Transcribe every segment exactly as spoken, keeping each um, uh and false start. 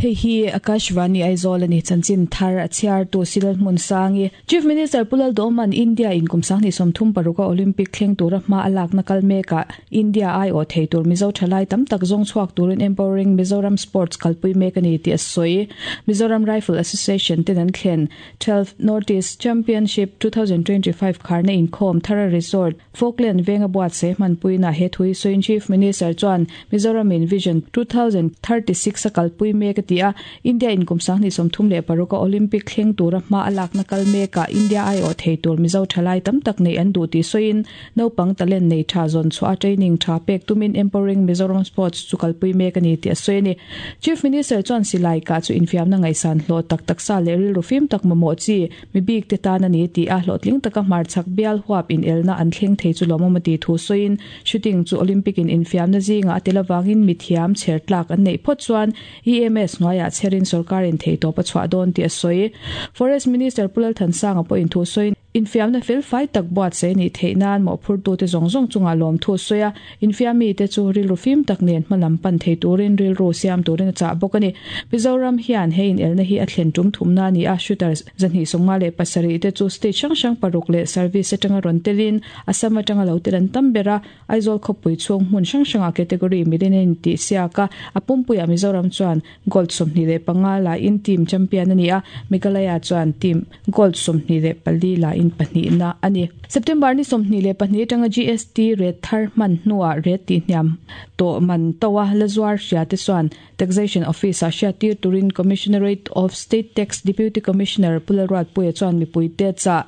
Hei hi Akashvani Aizawl ani chanchin thar a chhiar tu Silal Hmun Sangi. Chief Minister Pu Lalduhoma'n India in kum sanghnih sawmthum paruka Olympic thleng tura hma a lakna kal mekah India ai awh thei tur Mizo thalai tam tak zawng chhuak turin Empowering Mizoram Sports kalpui mek a ni tih a sawi. Mizoram Rifle Association ten an thlen twelve North East Championship two thousand twenty five kharna inkhawm Thara Resort, Falkland venga buatsaih hmanpuina he thui sawiin Chief Minister chuan Mizoram in Vision two thousand thirty six a kalpui mek a ti a, India in kum sanghnih sawmthum leh paruka Olympic thleng tura hma a lakna kal mekah India ai awh thei tur Mizo thalai tam tak nei an duh tih sawiin naupang talent nei tha zawn chhuah a training tha pek tumin Empowering Mizoram Sports chu kalpui mek a ni tih a sawi a ni. Chief Minister chuan silai kah chu infiamna ngaihsan hlawh tak taksa leh rilru fim tak mamawh chi mi bik te tan a ni tih a hlawhtling taka hmarchhak bial huap inelna an thleng thei chu lawmawm a tih thu sawiin shooting chu Olympic in infiamna zingah a tel avangin mithiam chher tlak an neih phawt chuan E M S hnuaiah chherin sorkarin thei tawp a chhuah dawn tih a sawi. Forest Minister Pu Lalthansanga pawhin thu sawiin infiamna fel fai tak buatsaih a nih theih nan mawhphurtute zawng zawng chungah lawm thu a sawi a, infiammi te chu rilru fim tak nen hmalam pan thei turin rilru siam turin a chah bawk a ni. Mizoram hian he inelna hi a thlen tum thumna a ni a, shooters zahnih sawmnga leh pasarih te chu state hrang hrang paruk leh service atanga rawn telin Assam atanga lo tel an tam ber a, Aizawl khawpui chhung hmun hrang hrangah category milin a intih siak a, a pumpuiah Mizoram chuan gold sawmhnih leh panga lain team champion a ni a, Meghalaya chuan team gold sawmhnih leh pali lain pahnihna a ni. September ni sawmhnih leh pahnih atanga G S T rate thar hman hnuah rate tih hniam tawh man to a lazuar hria te chuan Taxation Office ah hriat tir turin Commissionerate of State Tax Deputy Commissioner Pu Lalruatpuia chuan mipui te chah.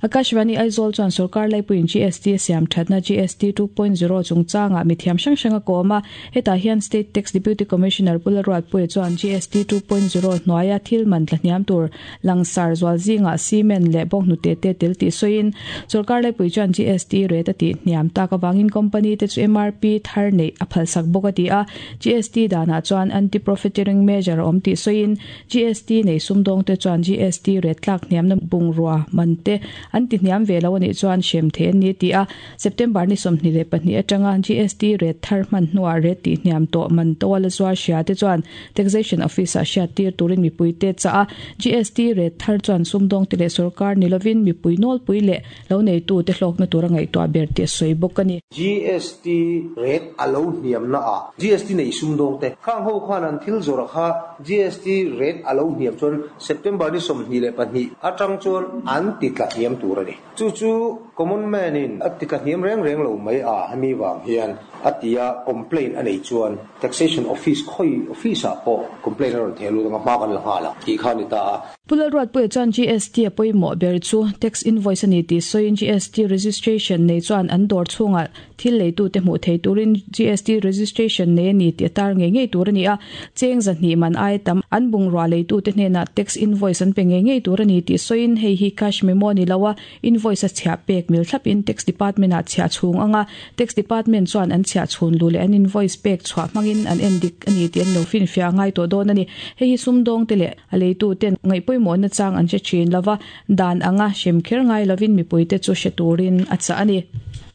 Akashvani Aizawl chuan sarkar laipuiin G S T a siam thatna G S T two point zero chungchangah mithiam hrang hrang a kawm a, hetah hian State Tax Deputy Commissioner Pu Lalruatpuia chuan G S T two point zero hnuaia thil man tla hniam tur langsar zual zingah cement leh bawk hnute te tel tih sawiin sarkar laipui chuan G S T rate a tih hniam tak avangin company te chu M R P thar neih a phalsak bawk a ti a, G S T danah chuan anti-profiteering measure awm tih sawiin G S T nei sumdawng te chuan G S T rate tlak hniamna bungrua man te an ti hniam ve lo anih chuan hrem thei an ni ti a, September ni sawmhnih leh pahnih atanga G S T rate thar hman hnuah rate tih hniam tawh man to a la zuar hria te chuan Taxation Office ah hriat tir turin mipui te chah a, G S T rate thar chuan sumdawng te leh sarkar ni lovin mipui nawlpui leh lo neitu te hlawkna tura ngaihtuah ber tih a sawi bawk a ni. G S T rate a lo hniamna a G S T nei sumdawng te khang ho khan an thil zawrh kha G S T rate a lo hniam chuan September ni sawmhnih leh pahnih atang chuan an ti tla hniam tur a ni. Chu chu common man in a ti tla hniam reng reng lo mai a hemi wang hian a tia complaint a nei chuan Taxation Office khoi office ah pawh complaint a rawn theh lut anga hma kan la nghala tih kha ni ta a. Pu Lalruatpuia chuan G S T a pawimawh ber chu tax invoice a ni tih sawiin G S T registration nei chuan an dawr chhungah thil leitu te hmuh thei turin G S T registration nei a ni tih a tar ngei ngei tur a ni a, cheng zahnih man ai tam an bungrua leitu te hnenah tax invoice an pe ngei ngei tur a ni tih sawiin hei hi cash memo ni lo a invoice a chhiah pek mil thlapin tax department ah chhiah chhung anga tax department chuan an chhiah chhun lu leh an invoice pek chhuah hmangin an en dik a ni tih an lo fin fiah ngai tawh dawn a ni. Hei hi sumdawng te leh a leitu ten ngaihpawimawh na chang an hre thin lova dan anga hrem kher ngai lovin mipui te chu hre turin a chah a ni.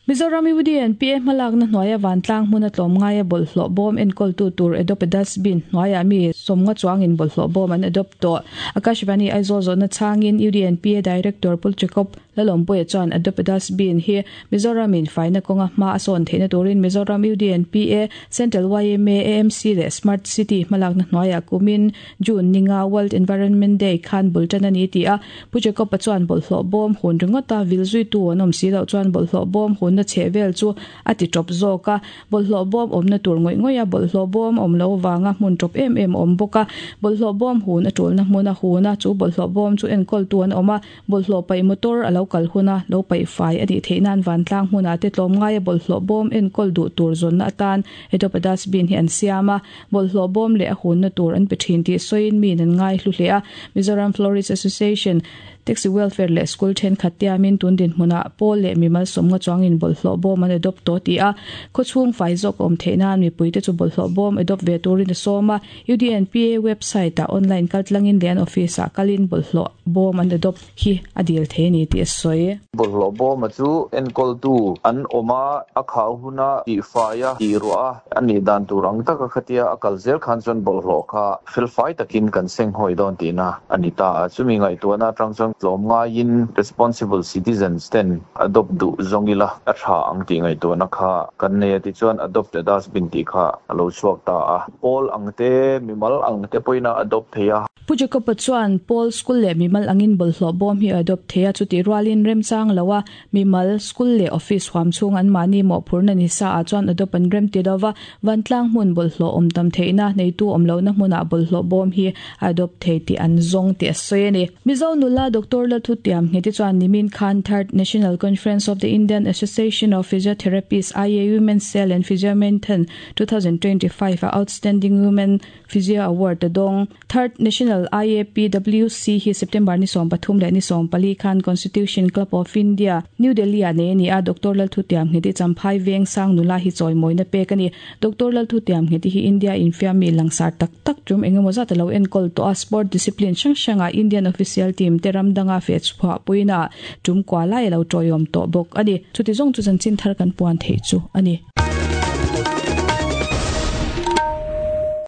Mizoram U D N P A hmalakna hnuaia vantlang hmun a tlawm ngai a bawlhhlawh bawm enkawltu tur adopt a dustbin hnuaiah mi sawmnga chuangin bawlhhlawh bawm an adopt tawh. Akashvani Aizawl zawhna changin U D N P A Director Pu Jacob Lalawmpuia chuan adopt a dustbin hi Mizoram in faina kawnga hma a sawn theihna turin Mizoram U D N P A Central Y M A A M C leh Smart City hmalakna hnuaiah kumin June ninga World Environment Day khan bultan a ni ti a, Pu Jacob a chuan bawlhhlawh bawm hun ringawta vilzui tu an awm si loh chuan bawlhhlawh bawm hun na chhe vel chu a ti tawp zawk a, bawlhhlawh bawm awmna tur ngawih ngawih a, bawlhhlawh bawm awm lo wanga hmun tawp em em awm bawk a, bawlhhlawh bawm hun a tulna hmun a hun a, chu bawlhhlawh bawm chu enkawltu an awm a, bawlhhlawh paih motor a lo kal hun a, lo paih fai a nih theih nan vantlang hmunah te tlawm ngai a bawlhhlawh bawm enkawl duh tur zawnna atan adopt a dustbin hi an siam a, bawlhhlawh bawm leh a hunna tur an pe thin tih sawiin min an ngai hlu hle a. Mizoram Florist Association Taxi welfare leh school thenkhat tiamin tun dinhmunah pawl leh mimal sawmnga chuangin bawlhhlawh bawm an adopt tawh ti a, khawchhung fai zawk awm theih nan mipuite chu bawlhhlawh bawm adopt ve turin a sawm a. U D N P A website ah online kaltlangin leh an office ah kalin bawlhhlawh bawm an adopt hi a dil thei a ni tih a sawi. Bawlhhlawh bawma chu enkawltu an awm a, a khau huna tihfai a, tihruah a, a nih dan tur ang taka khatia a kal zel khan chuan bawlhhlawh kha felfai takin kan senghawi dawn tihna a ni ta a. Chumi ngaihtuahna atang chuan tlawm ngaiin responsible citizens ten adopt duh zawng ila a tha ang tih ngaihtuahna kha kan nei a. Tichuan Adopt a Dustbin tih kha a lo chhuak ta a. Pawl ang te, mimal ang te pawhin a adopt thei a. Pu Jacob-a chuan pawl, school leh mimal angin bawlhhlawh bawm hi a adopt thei a, chutih rualin remchang lo a mimal, school leh office huam chhung an mahni mawhphurhna ni sa ah chuan adopt an rem ti lova, vantlang hmun bawlhhlawh awm tam theihna, neitu awm lohna hmunah bawlhhlawh bawm hi a adopt thei tih an zawng tih a sawi a ni. Mizo nula Doctor Lalthutiam Ngheti chuan nimin khan Third National Conference of the Indian Association of Physiotherapists, I A Women's Cell and Physiomarathon twenty twenty-five a Outstanding Women Physio Award a dawng. Third National I A P W C hi September ni sawm pathum leh ni sawm pali khan Constitution Club of India, New Delhi ah nei a ni a. Doctor Lalthutiam Ngheti, Champhai Veng Sang nula hi chawimawina pek a ni. Doctor Lalthutiam Ngheti hi India infiammi langsar tak tak tum engemaw zat a lo enkawl tawh a, sport discipline hrang hranga Indian official team te ram danga fe chhuah puina tum kwa lai a lo tawiawm tawh bawk a ni. Chuti zawng chu chanchin thar kan puan theih chu a ni.